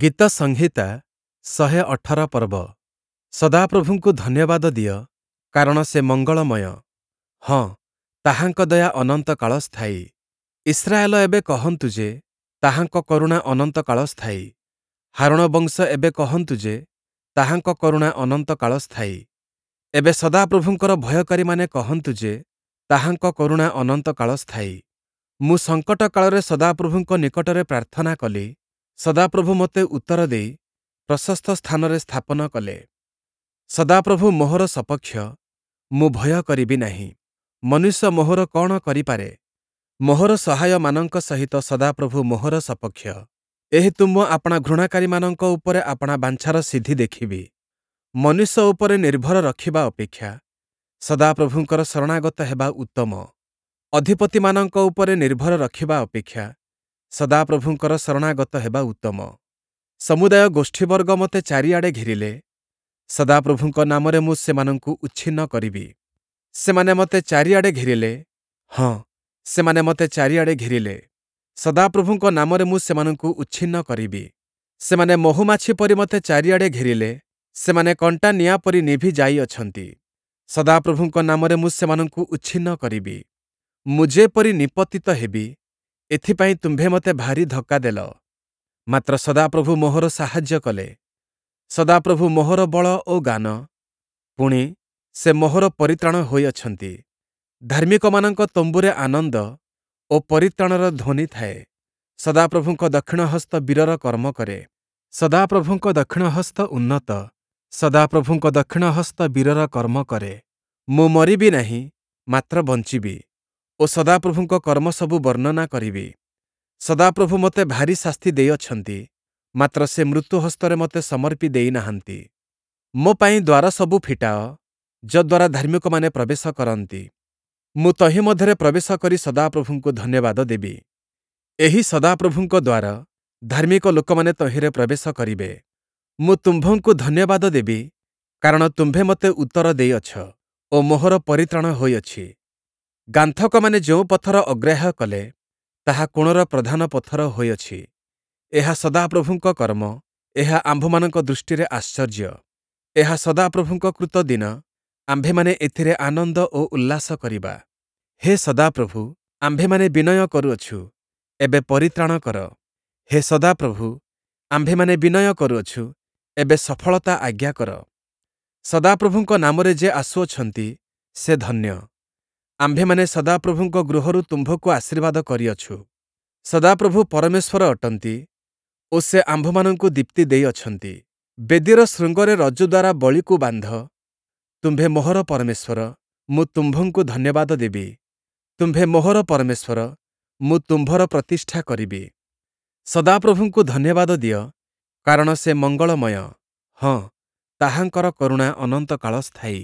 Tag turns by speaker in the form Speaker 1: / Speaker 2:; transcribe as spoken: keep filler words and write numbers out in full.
Speaker 1: ଗୀତସଂହିତା ଶହେ ଅଠର ପର୍ବ। ସଦାପ୍ରଭୁଙ୍କୁ ଧନ୍ୟବାଦ ଦିଅ, କାରଣ ସେ ମଙ୍ଗଳମୟ; ହଁ, ତାହାଙ୍କ ଦୟା ଅନନ୍ତକାଳ ସ୍ଥାୟୀ। ଇସ୍ରାଏଲ ଏବେ କହନ୍ତୁ ଯେ, ତାହାଙ୍କ କରୁଣା ଅନନ୍ତକାଳ ସ୍ଥାୟୀ। ହାରୋଣ ବଂଶ ଏବେ କହନ୍ତୁ ଯେ, ତାହାଙ୍କ କରୁଣା ଅନନ୍ତକାଳ ସ୍ଥାୟୀ। ଏବେ ସଦାପ୍ରଭୁଙ୍କର ଭୟକାରୀମାନେ କହନ୍ତୁ ଯେ, ତାହାଙ୍କ କରୁଣା ଅନନ୍ତକାଳ ସ୍ଥାୟୀ। ମୁଁ ସଙ୍କଟ କାଳରେ ସଦାପ୍ରଭୁଙ୍କ ନିକଟରେ ପ୍ରାର୍ଥନା କଲି; ସଦାପ୍ରଭୁ ମୋତେ ଉତ୍ତର ଦେଇ ପ୍ରଶସ୍ତ ସ୍ଥାନରେ ସ୍ଥାପନ କଲେ। ସଦାପ୍ରଭୁ ମୋହର ସପକ୍ଷ, ମୁଁ ଭୟ କରିବି ନାହିଁ। ମନୁଷ୍ୟ ମୋହର କଅଣ କରିପାରେ? ମୋହର ସହାୟମାନଙ୍କ ସହିତ ସଦାପ୍ରଭୁ ମୋହର ସପକ୍ଷ। ଏହେତୁ ମୁଁ ଆପଣା ଘୃଣାକାରୀମାନଙ୍କ ଉପରେ ଆପଣା ବାଞ୍ଛାର ସିଦ୍ଧି ଦେଖିବି। ମନୁଷ୍ୟ ଉପରେ ନିର୍ଭର ରଖିବା ଅପେକ୍ଷା ସଦାପ୍ରଭୁଙ୍କର ଶରଣାଗତ ହେବା ଉତ୍ତମ। ଅଧିପତିମାନଙ୍କ ଉପରେ ନିର୍ଭର ରଖିବା ଅପେକ୍ଷା ସଦାପ୍ରଭୁଙ୍କର ଶରଣାଗତ ହେବା ଉତ୍ତମ। ସମୁଦାୟ ଗୋଷ୍ଠୀବର୍ଗ ମୋତେ ଚାରିଆଡ଼େ ଘେରିଲେ, ସଦାପ୍ରଭୁଙ୍କ ନାମରେ ମୁଁ ସେମାନଙ୍କୁ ଉଚ୍ଛିନ୍ନ କରିବି। ସେମାନେ ମୋତେ ଚାରିଆଡ଼େ ଘେରିଲେ, ହଁ, ସେମାନେ ମୋତେ ଚାରିଆଡ଼େ ଘେରିଲେ, ସଦାପ୍ରଭୁଙ୍କ ନାମରେ ମୁଁ ସେମାନଙ୍କୁ ଉଚ୍ଛିନ୍ନ କରିବି। ସେମାନେ ମହୁମାଛି ପରି ମୋତେ ଚାରିଆଡ଼େ ଘେରିଲେ, ସେମାନେ କଣ୍ଟା ନିଆଁ ପରି ନିଭି ଯାଇଅଛନ୍ତି, ସଦାପ୍ରଭୁଙ୍କ ନାମରେ ମୁଁ ସେମାନଙ୍କୁ ଉଚ୍ଛିନ୍ନ କରିବି। ମୁଁ ଯେପରି ନିପତିତ ହେବି, ଏଥିପାଇଁ ତୁମ୍ଭେ ମୋତେ ଭାରି ଧକ୍କା ଦେଲ। ମାତ୍ର ସଦାପ୍ରଭୁ ମୋହର ସାହାଯ୍ୟ କଲେ। ସଦାପ୍ରଭୁ ମୋହର ବଳ ଓ ଗାନ, ପୁଣି, ସେ ମୋହର ପରିତ୍ରାଣ ହୋଇଅଛନ୍ତି। ଧାର୍ମିକମାନଙ୍କ ତମ୍ବୁରେ ଆନନ୍ଦ ଓ ପରିତ୍ରାଣର ଧ୍ୱନି ଥାଏ। ସଦାପ୍ରଭୁଙ୍କ ଦକ୍ଷିଣ ହସ୍ତ ବୀରର କର୍ମ କରେ। ସଦାପ୍ରଭୁଙ୍କ ଦକ୍ଷିଣ ହସ୍ତ ଉନ୍ନତ, ସଦାପ୍ରଭୁଙ୍କ ଦକ୍ଷିଣ ହସ୍ତ ବୀରର କର୍ମ କରେ। ମୁଁ ମରିବି ନାହିଁ, ମାତ୍ର ବଞ୍ଚିବି ଓ ସଦାପ୍ରଭୁଙ୍କ କର୍ମସବୁ ବର୍ଣ୍ଣନା କରିବି। ସଦାପ୍ରଭୁ ମୋତେ ଭାରୀ ଶାସ୍ତି ଦେଇଅଛନ୍ତି, ମାତ୍ର ସେ ମୃତ୍ୟୁ ହସ୍ତରେ ମୋତେ ସମର୍ପି ଦେଇନାହାନ୍ତି। ମୋ ପାଇଁ ଦ୍ୱାରସବୁ ଫିଟାଅ, ଯଦ୍ୱାରା ଧାର୍ମିକମାନେ ପ୍ରବେଶ କରନ୍ତି। ମୁଁ ତହିଁ ମଧ୍ୟରେ ପ୍ରବେଶ କରି ସଦାପ୍ରଭୁଙ୍କୁ ଧନ୍ୟବାଦ ଦେବି। ଏହି ସଦାପ୍ରଭୁଙ୍କ ଦ୍ୱାର, ଧାର୍ମିକ ଲୋକମାନେ ତହିଁରେ ପ୍ରବେଶ କରିବେ। ମୁଁ ତୁମ୍ଭଙ୍କୁ ଧନ୍ୟବାଦ ଦେବି, କାରଣ ତୁମ୍ଭେ ମୋତେ ଉତ୍ତର ଦେଇଅଛ ଓ ମୋହର ପରିତ୍ରାଣ ହୋଇଅଛି। ଗାନ୍ଥକମାନେ ଯେଉଁ ପଥର ଅଗ୍ରାହ୍ୟ କଲେ, ତାହା କୋଣର ପ୍ରଧାନ ପଥର ହୋଇଅଛି। ଏହା ସଦାପ୍ରଭୁଙ୍କ କର୍ମ, ଏହା ଆମ୍ଭମାନଙ୍କ ଦୃଷ୍ଟିରେ ଆଶ୍ଚର୍ଯ୍ୟ। ଏହା ସଦାପ୍ରଭୁଙ୍କ କୃତ ଦିନ, ଆମ୍ଭେମାନେ ଏଥିରେ ଆନନ୍ଦ ଓ ଉଲ୍ଲାସ କରିବା। ହେ ସଦାପ୍ରଭୁ, ଆମ୍ଭେମାନେ ବିନୟ କରୁଅଛୁ, ଏବେ ପରିତ୍ରାଣ କର। ହେ ସଦାପ୍ରଭୁ, ଆମ୍ଭେମାନେ ବିନୟ କରୁଅଛୁ, ଏବେ ସଫଳତା ଆଜ୍ଞା କର। ସଦାପ୍ରଭୁଙ୍କ ନାମରେ ଯେ ଆସୁଅଛନ୍ତି, ସେ ଧନ୍ୟ। ଆମ୍ଭେମାନେ ସଦାପ୍ରଭୁଙ୍କ ଗୃହରୁ ତୁମ୍ଭକୁ ଆଶୀର୍ବାଦ କରିଅଛୁ। ସଦାପ୍ରଭୁ ପରମେଶ୍ୱର ଅଟନ୍ତି ଓ ସେ ଆମ୍ଭମାନଙ୍କୁ ଦୀପ୍ତି ଦେଇଅଛନ୍ତି। ବେଦୀର ଶୃଙ୍ଗରେ ରଜ୍ଜୁ ଦ୍ୱାରା ବଳିକୁ ବାନ୍ଧ। ତୁମ୍ଭେ ମୋହର ପରମେଶ୍ୱର, ମୁଁ ତୁମ୍ଭଙ୍କୁ ଧନ୍ୟବାଦ ଦେବି। ତୁମ୍ଭେ ମୋହର ପରମେଶ୍ୱର, ମୁଁ ତୁମ୍ଭର ପ୍ରତିଷ୍ଠା କରିବି। ସଦାପ୍ରଭୁଙ୍କୁ ଧନ୍ୟବାଦ ଦିଅ, କାରଣ ସେ ମଙ୍ଗଳମୟ; ହଁ, ତାହାଙ୍କର କରୁଣା ଅନନ୍ତକାଳ ସ୍ଥାୟୀ।